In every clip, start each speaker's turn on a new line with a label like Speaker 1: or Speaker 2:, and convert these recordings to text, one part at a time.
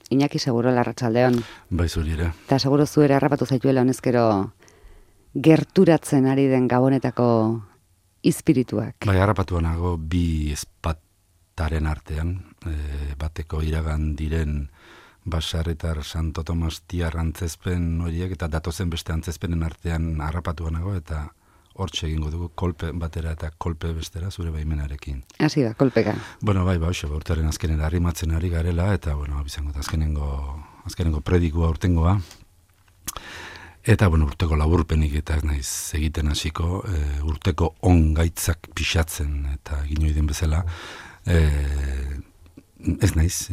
Speaker 1: Iñaki seguro larratsaldeon.
Speaker 2: Bai, zuri ere.
Speaker 1: Eta seguro zuera harrapatu zaituela honezkero gerturatzen ari den gabonetako izpirituak.
Speaker 2: Bai, harrapatu nago bi espataren artean, bateko iragan diren Basarritar Santo Tomas Tiar antzezpen horiek eta datozen beste antzezpenen artean harrapatu nago eta hortxe egingo dugu kolpe batera eta kolpe bestera zure baimenarekin.
Speaker 1: Hasi da, kolpeka.
Speaker 2: Bueno, bai, urtearen azkenera arrimatzen ari garela eta, bizango azkenengo predikua urtengoa. Eta, urteko laburpenik eta ez naiz egiten hasiko, urteko ongaitzak pixatzen eta egin oiden bezala, ez naiz,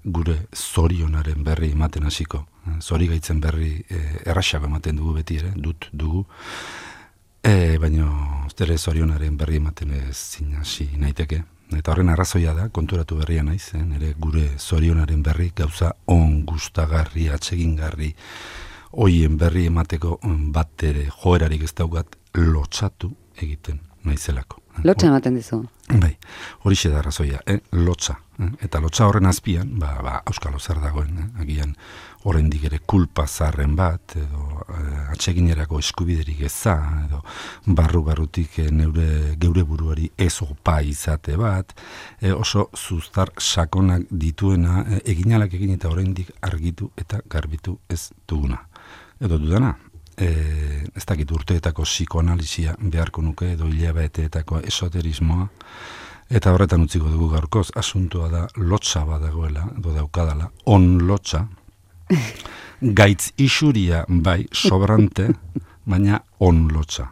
Speaker 2: gure zorionaren berri ematen hasiko. Zorigaitzen berri erraxago ematen dugu beti ere, dugu. Baina ere zorionaren berri ematen ezin hasi naiteke. Eta horren arrazoia da, konturatu berria naiz, nire gure zorionaren berri gauza on gustagarri, atsegingarri, hoien berri emateko bat ere joerarik ez daukat lotsatu egiten naizelako.
Speaker 1: Lotsa ematen dizu?
Speaker 2: Bai, horixe da arrazoia, lotsa. Eta lotsa horren azpian, auskalo zer dagoen, agian oraindik ere kulpa zarren bat, edo atseginerako eskubiderik eza, edo barrutik geure buruari ez opa izate bat, oso zuztar sakonak dituena, eginalak egin eta oraindik argitu eta garbitu ez duguna. Edo dudana, ez dakit urteetako psikoanalizia beharko nuke, edo hilabeteetako esoterismoa, eta horretan utziko dugu gaurkoz, asuntua da lotsa badagoela, edo daukadala, on lotsa, gaitz isuria bai sobrante, baina on lotsa.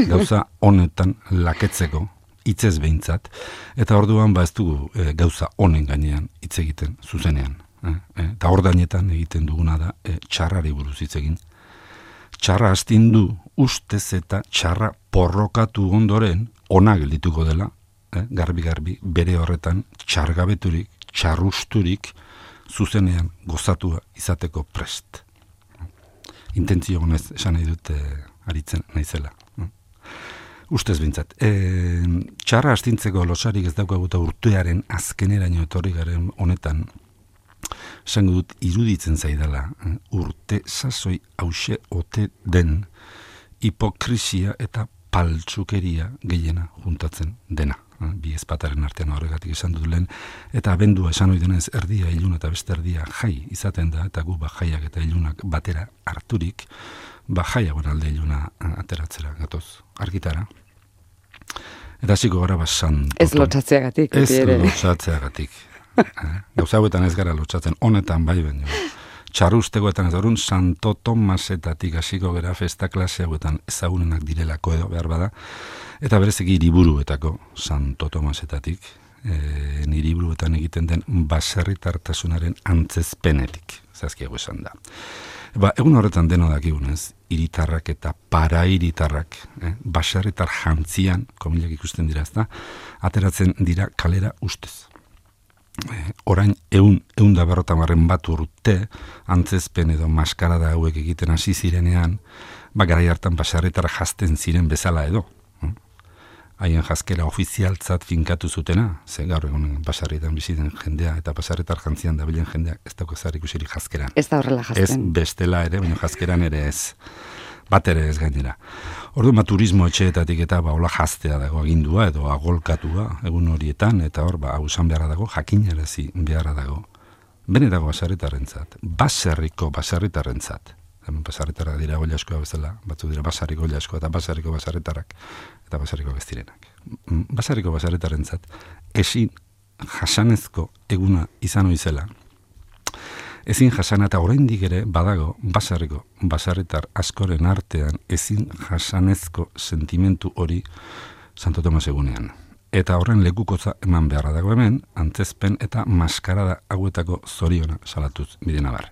Speaker 2: Gauza honetan laketzeko, hitzez behintzat, eta orduan ez dugu gauza honen gainean hitz egiten zuzenean. Eta ordainetan egiten duguna da txarrari buruz hitz egin. Txarra astindu ustez eta txarra porrokatu ondoren ona geldituko dela, garbi bere horretan txargabeturik, txarrusturik zuzenean gozatua izateko prest. Intentzio honez esan nahi dute aritzen naizela. Ustez bintzat. Txarra astintzeko losarik ez daukaguta urtearen azkeneraino etorri garen honetan, esango dut iruditzen zaidala, urte sasoi hause ote den hipokrisia eta paltsukeria gehiena juntatzen dena. Bi ezpataren artean horregatik esan dut lehen, eta abendua esan oidenez erdia ilun eta beste erdia jai izaten da, eta gu jaiak eta ilunak batera harturik, jaiagoen alde iluna ateratzera gatoz argitara. Eta hasiko gara basan.
Speaker 1: Ez lotsatzeagatik.
Speaker 2: Ez lotsatzeagatik. Gauza hauetan ez gara lotsatzen, honetan bai baino. Txarrustegoetan ez orun Santo Tomasetatik hasiko gara festa klase hauetan ezagunenak direlako edo behar bada, eta bereziki hiriburuetako Santo Tomasetatik, hiriburuetan egiten den baserritartasunaren antzezpenetik, zazkiago esan da. Egun horretan deno dakigunez, hiritarrak eta para-hiritarrak, baserritar jantzian, komilak ikusten dira ezta, ateratzen dira kalera ustez. Orain ehun da 50 bat urte antzezpen edo maskarada hauek egiten hasi zirenean, garai hartan baserritar jazten ziren bezala edo. Haien jazkera ofizialtzat finkatu zutena, ze gaur egun baserritan biziten jendea eta baserritar jantzian dabilen jendea ez dago ezer ikusirik jazkeran.
Speaker 1: Ez da horrela jazten.
Speaker 2: Ez bestela ere, baina jazkeran ere ez. Bat ere ez gainera. Orduan turismo etxeetatik eta hola jaztea dago agindua edo agolkatua egun horietan, eta hor hau esan beharra dago, jakinarazi beharra dago. Benetako baserritarrentzat, baserriko baserritarrentzat. Hemen baserritarrak dira goila askoa bezala, batzu dira basarriko goila askoa eta basarriko baserritarrak eta basarriko beztirenak. Basarriko baserritarrentzat ezin jasanezko eguna izan oizela. Ezin jasana eta oraindik ere badago basarriko baserritar askoren artean ezin jasanezko sentimentu hori Santo Tomas egunean. Eta horren lekukotza eman beharra dago hemen, antzezpen eta maskarada hauetako zoriona salatuz bidena bar.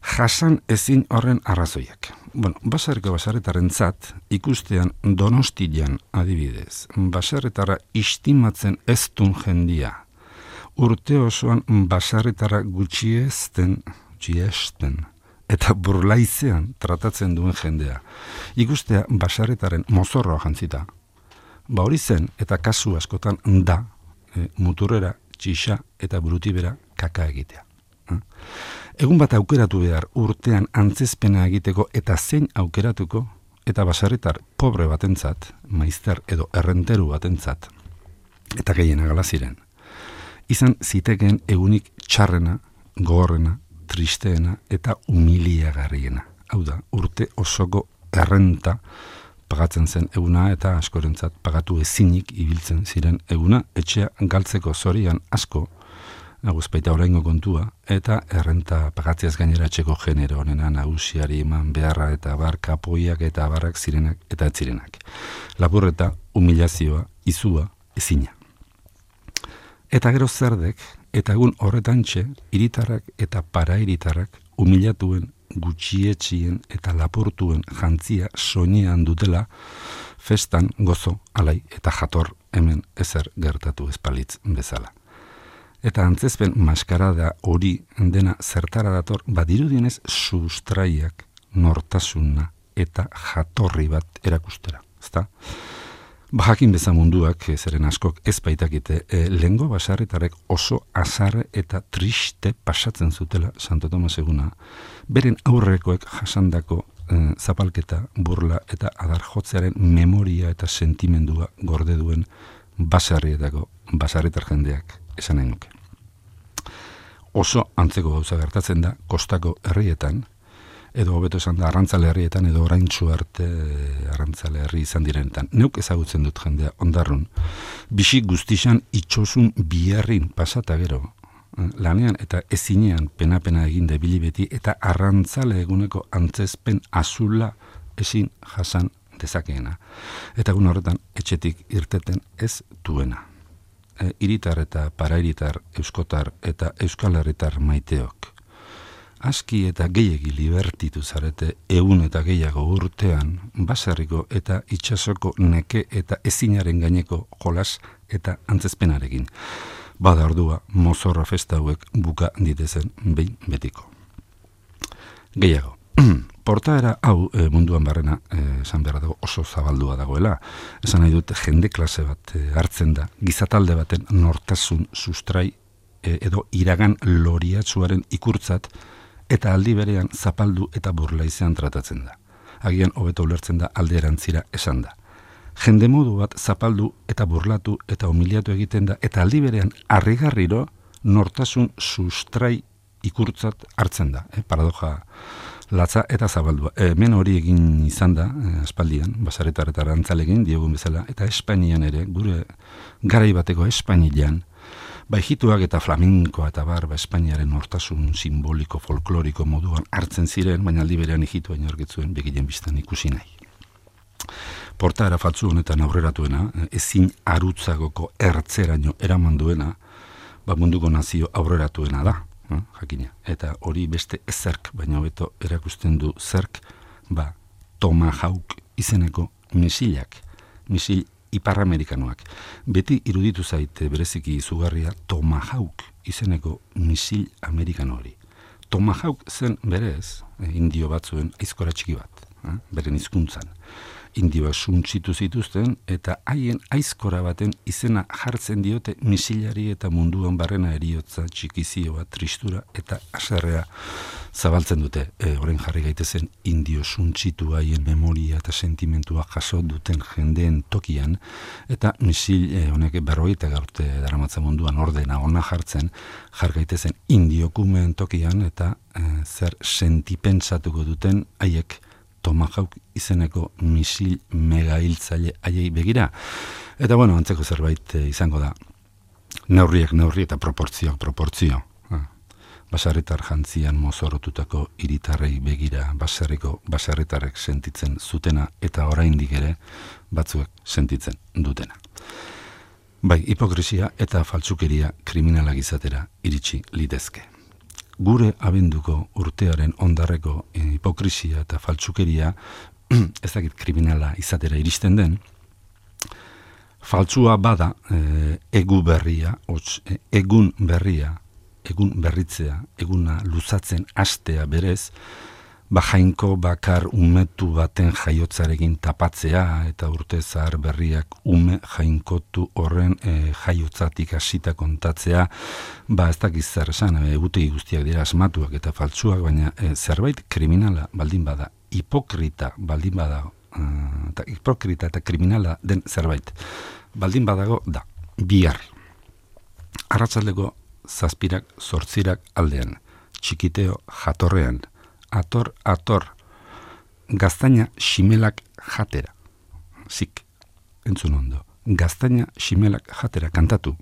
Speaker 2: Jasan ezin horren arrazoiak. Basarriko baserritarrentzat ikustean Donostian adibidez, baserritarra istimatzen ez dun jendia, urte osoan baserritarra gutxiesten eta burlaizean tratatzen duen jendea. Ikustea baserritaren mozorroa jantzita. Hori zen eta kasu askotan da muturrera, txixa eta burutibera kaka egitea. Egun bat aukeratu behar urtean antzezpena egiteko eta zein aukeratuko, eta baserritar pobre batentzat, maizter edo errenteru batentzat, eta gehiena gala ziren. Izan zitekeen egunik txarrena, gogorrena, tristeena eta humiliagarriena. Hau da, urte osoko errenta pagatzen zen eguna eta askorentzat pagatu ezinik ibiltzen ziren eguna, etxea galtzeko zorian asko, aguzpaita oraingo kontua, eta errenta pagatziaz gainera etxeko genero honena nagusiari eman beharra eta bar kapoiak eta abarrak zirenak eta ez zirenak. Lapurreta, humilazioa, izua, ezina. Eta gero zerdek, eta egun horretantxe, hiritarrak eta parairitarrak humilatuen, gutxietxien eta lapurtuen jantzia soinean dutela, festan gozo, alai eta jator hemen ezer gertatu espalitz bezala. Eta antzezpen maskarada hori dena zertara dator, badirudienez sustraiak, nortasuna eta jatorri bat erakustera. Ezta? Bajakin beza munduak, zeren askok ez baitakite, lehengo baserritarrek oso azarre eta triste pasatzen zutela Santo Tomas eguna, beren aurrekoek jasandako zapalketa, burla eta adar jotzearen memoria eta sentimendua gorde duen baserritar jendeak esan nahi nuke. Oso antzeko gauza gertatzen da kostako herrietan, edo hobeto esan da arrantzale herrietan, edo oraintsu arte arrantzale herri izan direnetan. Neuk ezagutzen dut jendea ondarrun. Bixi guztixan itxosun biharrin pasata gero, lanean eta ezinean pena egin debili beti, eta arrantzale eguneko antzezpen azula ezin jasan dezakeena. Eta egun horretan etxetik irteten ez duena. Hiritar eta parairitar, euskotar eta euskal herritar maiteok. Aski eta gehiegi libertitu zarete egun eta gehiago urtean, baserriko eta itsasoko neke eta ezinaren gaineko jolas eta antzezpenarekin. Bada ordua mozorra festa hauek buka ditezen behin betiko. Gehiago, portaera hau munduan barrena esan behar dago oso zabaldua dagoela. Esan nahi dut jende klase bat hartzen da, gizatalde baten nortasun sustrai edo iragan loriatsuaren ikurtzat, eta aldi berean zapaldu eta burla izan tratatzen da. Agian hobeto ulertzen da alde erantzira esan da. Jende modu bat zapaldu eta burlatu eta humiliatu egiten da, eta aldi berean harrigarriro nortasun sustrai ikurtzat hartzen da. Paradoja latza eta zabaldua. Hemen hori egin izan da, aspaldian, baserritar eta arrantzalegin diogun bezala, eta Espainian ere, gure garai bateko Espainian, Baijituak eta flamenkoa eta Espainiaren nortasun simboliko folkloriko moduan hartzen ziren, baina aldi berean egitua inorgetzuen begilen biztan ikusi nahi. Portaera faltzu honetan aurreratuena, ezin arutzagoko ertzeraino eraman duena, munduko nazio aurreratuena da, jakina. Eta hori beste ezerk, baina hobeto erakusten du zerk, Tomahawk izeneko misilak, misil ipar-amerikanoak. Beti iruditu zaite bereziki izugarria Tomahawk izeneko misil amerikano hori. Tomahawk zen berez, indio batzuen aizkora txiki bat, beren hizkuntzan. Indioak suntzitu zituzten eta haien aizkora baten izena jartzen diote misilari eta munduan barrena eriotza, txikizioa, tristura eta haserrea zabaltzen dute. Orain jarri gaitezen indio suntzitu haien memoria eta sentimentua jaso duten jendeen tokian, eta misil honek 40 urte daramatza munduan ordena ona jartzen, jar gaitezen indiokumeen tokian eta zer sentipentsatuko duten haiek Tomahawk izeneko misil megahiltzaile haiei begira. Eta antzeko zerbait izango da. Neurri eta proportzio. Baserritar jantzian mozorotutako hiritarrei begira baserritarrek sentitzen zutena eta oraindik ere batzuek sentitzen dutena. Hipokresia eta faltsukeria kriminalak izatera iritsi litezke. Gure abenduko urtearen ondarreko hipokresia eta faltsukeria ez dakit kriminala izatera iristen den, faltsua bada egun berritzea, eguna luzatzen hastea berez, jainko bakar umetu baten jaiotzarekin tapatzea, eta urte zahar berriak ume jainkotu horren jaiotzatik hasita kontatzea, ez dakiz zer esan, egutegi guztiak dira asmatuak eta faltsuak, baina zerbait kriminala baldin bada, hipokrita baldin bada, eta hipokrita eta kriminala den zerbait baldin badago da, bihar. Arratsaldeko 7:00 aldean, txikiteo jatorrean, ator, gaztaina ximelak jatera. Zik, entzun ondo, gaztaina ximelak jatera kantatu.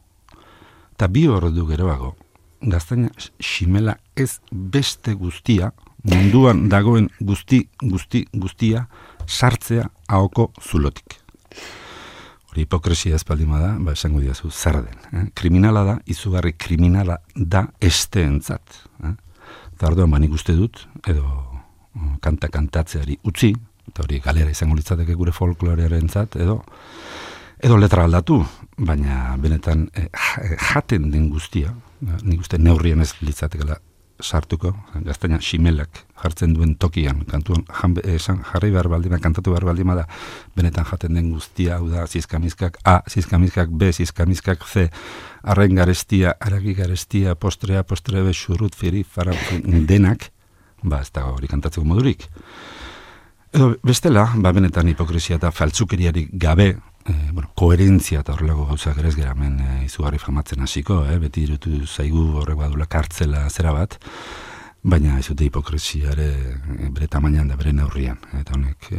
Speaker 2: Ta 2 ordu geroago, gaztaina ximela ez beste guztia, munduan dagoen guztia, sartzea ahoko zulotik. Hori hipokresia espaldima da, esango diazu, zer den. Kriminala da, izugarri kriminala da esteentzat. Eta orduan nik uste dut, edo kantatzeari utzi, eta hori galera izango litzateke gure folklorearentzat, edo letra aldatu, baina benetan jaten den guztia, nik uste neurrien ez litzatekela sartuko, gaztaina ximelak jartzen duen tokian, kantuan jarri behar baldima, kantatu behar baldima da, benetan jaten den guztia, hau da, zizkamizkak A, zizkamizkak B, zizkamizkak C, arrain garestia, aragi garestia, postre A, postre B, xurrut, firi, fara, denak, ez da hori kantatzeko modurik. Edo bestela, benetan hipokresia eta faltzukeriarik gabe, koherentzia eta horrelako gauzak ere ez gara hemen izugarri famatzen hasiko, beti irutu zaigu horrek badula kartzela zera bat, baina ez dute hipokresiare bere tamainan da bere neurrian, eta honek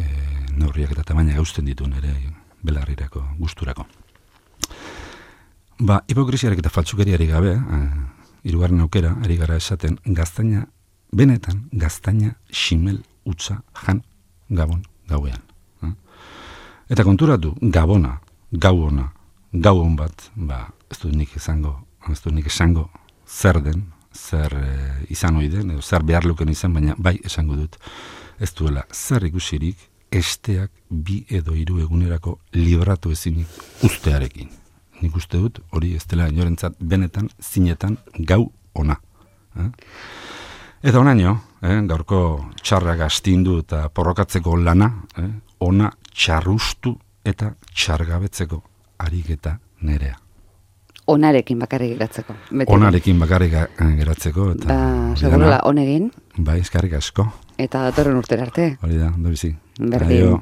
Speaker 2: neurriak eta tamaina gausten ditu nere belarrirako, gusturako. Hipokresiarek eta faltzukeriarik gabe, hirugarren aukera, ari gara esaten, benetan gaztaina ximel utza jan gabon gauean. Eta konturatu, gabona, gau on bat, ez dut nik esango zer den, zer izan ohi den, edo zer behar luken izan, baina bai esango dut, ez duela zer ikusirik esteak 2 edo 3 egunerako libratu ezinik ustearekin. Nik uste dut, hori ez dela inorentzat benetan, zinetan, gau ona. Eta onaino, gaurko txarrak astindu eta porrokatzeko lana, ona txarrustu eta txargabetzeko ariketa nerea.
Speaker 1: Onarekin bakarrik geratzeko.
Speaker 2: Onarekin bakarrik geratzeko.
Speaker 1: Segurela onegin.
Speaker 2: Eskarrik asko.
Speaker 1: Eta datorren urtera arte.
Speaker 2: Hori da, ondo bizi.
Speaker 1: Berdin.